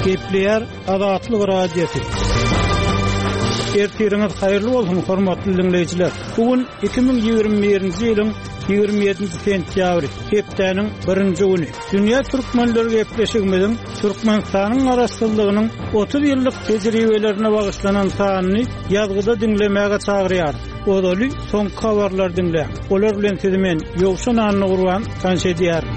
Gepleýär Azatlyk Radiosy. Ertiriňiz haýyrly bolsun, hormatly diňleýjiler! Bu gün 2021-nji ýylyň 27-nji sentýabry, hepdäniň birinji güni. Dünýä türkmenleri gepleşigimiziň Türkmenistanyň Garaşsyzlygynyň 30 ýyllyk tejribelerine bagyşlanan sanyny ýazgyda diňlemäge çagyrýarys. Ozaly soňky habarlary diňläň. Olar bilen sizi men, Ýowşan Annagurban, tanyş edýärin.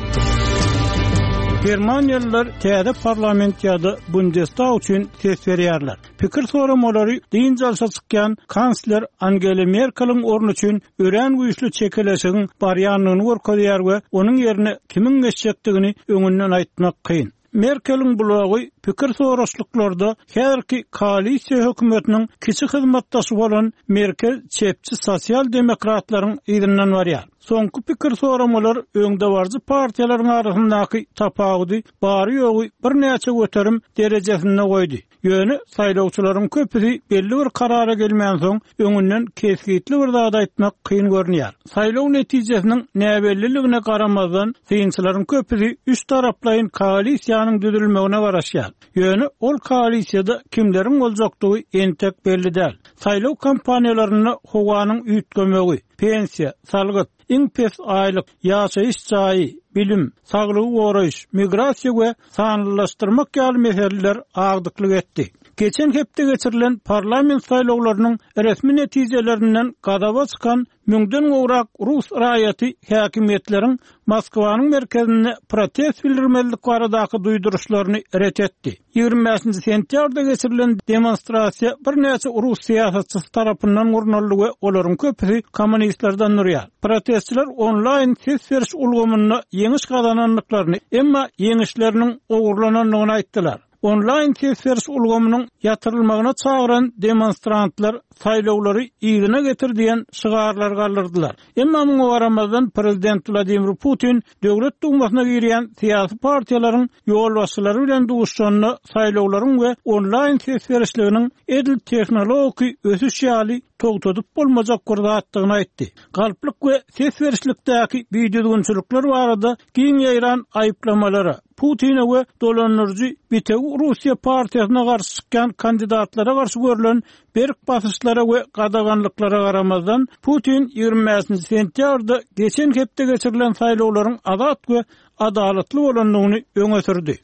Germaniýalylar täze parlament ýa-da Bundestag üçin ses berýärler. Pikir soramalary dynç alşa çykýan kansler Angela Merkeliň orny üçin örän güýçli çekeleşigiň barýandygyny görkezýär we onuň ýerine kimiň geçjekdigini öňünden aýtmak kyn. Merkeliň blogy pikir soraşlyklarda häzirki koalisiýa hökümetiniň kiçi hyzmatdaşy bolan merkez çepçi sosial-demokratlaryň yzyndan barýar. Soňky pikir soramalar öňdebaryjy partiýalaryň arasyndaky tapawudy bary-ýogy birnäçe göterim derejesinde goýdy. Ýöne saýlawçylaryň köpüsi belli bir karara gelmänsoň, öňünden kesgitli bir zat aýtmak kyn görünýär. Saýlaw netijesiniň näbelliligine garamazdan, synçylaryň köpüsi üç taraplaýyn koalisiýanyň düzülmegine garaşýar. Ýöne ol koalisiýada kimleriň boljakdygy entek belli däl. Saýlaw kampaniýalarynda howanyň üýtgemegi, pensiýa, salgyt, iň pes aýlyk, ýaşaýyş jaýy, bilim, saglygy goraýyş, migrasiýa we sanlylaşdyrmak ýaly meseleler agdyklyk etdi. Geçen hepde geçirilen parlament saýlawlarynyň resmi netijelerinden gazaba çykan müňden gowrak rus raýaty häkimiýetleriň Moskwanyň merkezinde protest bildirmezlik baradaky duýduryşlaryny ret etdi. 25-nji sentýabrda geçirilen demonstrasiýa birnäçe rus syýasatçysy tarapyndan gurnaldy we olaryň köpüsi kommunistlerden durýar. Protestçiler onlaýn ses beriş ulgamynda ýeňiş gazanandyklaryny, emma ýeňişleriniň ogurlanandygyny aýtdylar. Onlaýn ses beriş ulgamynyň ýatyrylmagyna çagyran demonstrantlar saýlawlary yzyna getir diýen şygarlary galdyrdylar. Emma muňa garamazdan, prezident Wladimir Putin Döwlet Dumasyna girýän syýasy partiýalaryň ýolbaşçylary bilen duşuşanda saýlawlaryň we onlaýn ses berişliginiň edil tehnologiki ösüş ýaly togtadyp bolmajak bir zatdygyny aýtdy. Galplyk we ses berişlikdäki bidüzgünçilikler barada giň ýaýran aýyplamalara, Putine we dolandyryjy Bitewi Russiýa partiýasyna garşy çykýan kandidatlara garşy görlen berk basyşlara we gadaganlyklara garamazdan, Putin 25-nji sentýabrda geçen hepde geçirilen saýlawlaryň azat we adalatly bolandygyny öňe sürdi.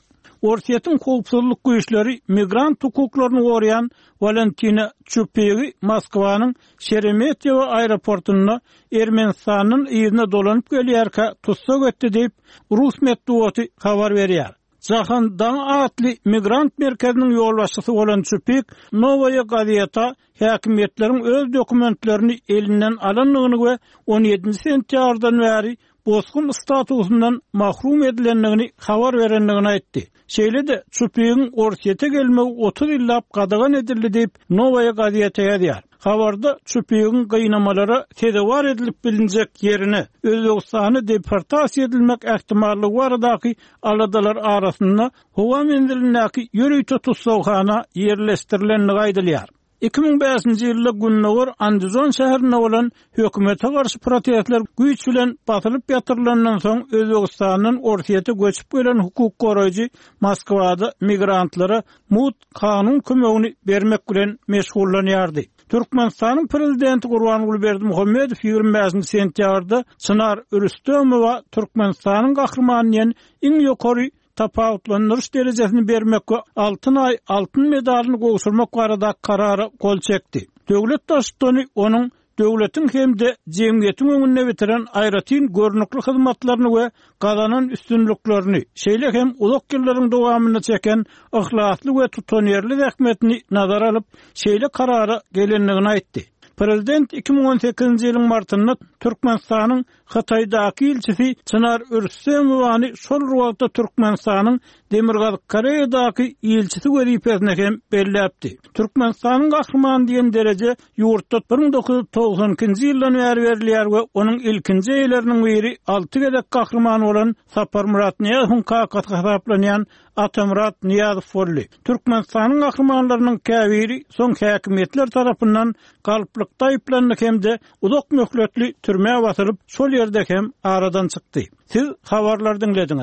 Orsýetiň howpsuzlyk güýçleri migrant hukuklaryny goraýan Walentina Çupigi Moskwanyň Şeremetýewo aeroportynda Ermenistandan yzyna dolanyp gelýärkä tussag etdi diýip, rus metbugaty habar berýär. Jahan Daň atly migrant merkeziniň ýolbaşçysy bolan Çupik Nowaýa Gazeta häkimiýetleriň öz dokumentlerini elinden alandygyny we on ýedinji sentýabrdan bäri bosgun statusyndan mahrum edilendigini habar berendigini aýtdy. Şeýle-de, Çupigiň Orsýete gelmegi 30 ýyllap gadagan edildi diýip, Nowaýa gazeta ýazýar. Habarda Çupigiň gynamalara sezewar edilip bilinjek ýerine, Özbegistana deportasiýa edilmek ähtimallygy baradaky aladalar arasynda howa menzilindäki ýörite tussaghana ýerleşdirilendigi aýdylýar. 2005-nji ýylda gündogar Andijon şäherinde bolan hökümete garşy protestler güýç bilen basylyp ýatyrylandan soň Özbegistandan Orsýete göçüp gelen hukuk goraýjy Moskwada migrantlara mugt kanun kömegini bermek bilen meşgullanýardy. Türkmenistanyň Prezidenti Gurbanguly Berdimuhamedow 25-nji sentýabrda Çynar Rüstemowa Türkmenistanyň Gahrymany diýen iň ýokary tapawutlandyryş derejesini bermek we Altyn Aý altyn medalyny gowşurmak barada Karara gol çekdi. Döwlet Baştutany onuň döwletiň hem-de jemgyýetiň öňünde bitiren aýratyn görnükli hyzmatlaryny we gazanan üstünliklerini, şeýle hem uzak ýyllaryň dowamynda çeken yhlasly we tutanýerli zähmetini nazara alyp, şeýle karara gelendigini aýtdy. Prezident 2018-nji ýylyň martynda Türkmenistanyň Hytaýdaky ilçisi Çynar Rüstemowany şol bir wagtda Türkmenistanyň Demirgazyk Koreýadaky ilçisi wezipesine hem belläpdi. Türkmenistanyň Gahrymany diýen dereje ýurtda 1992-nji ýyldan bäri berilýär we onuň ilkinji eýeleriniň biri alty gezek Gahryman bolan Saparmyrat Nyýazowyň kakasy hasaplanýan Atamyrat Nyýazow boldy. Türkmenistanyň gahrymanlarynyň käbiri soň häkimiýetler tarapyndan galplykda aýyplandy hem-de uzak möhletli türmä basylyp, şol ýerde hem aradan çykdy. Siz habarlary diňlediňiz.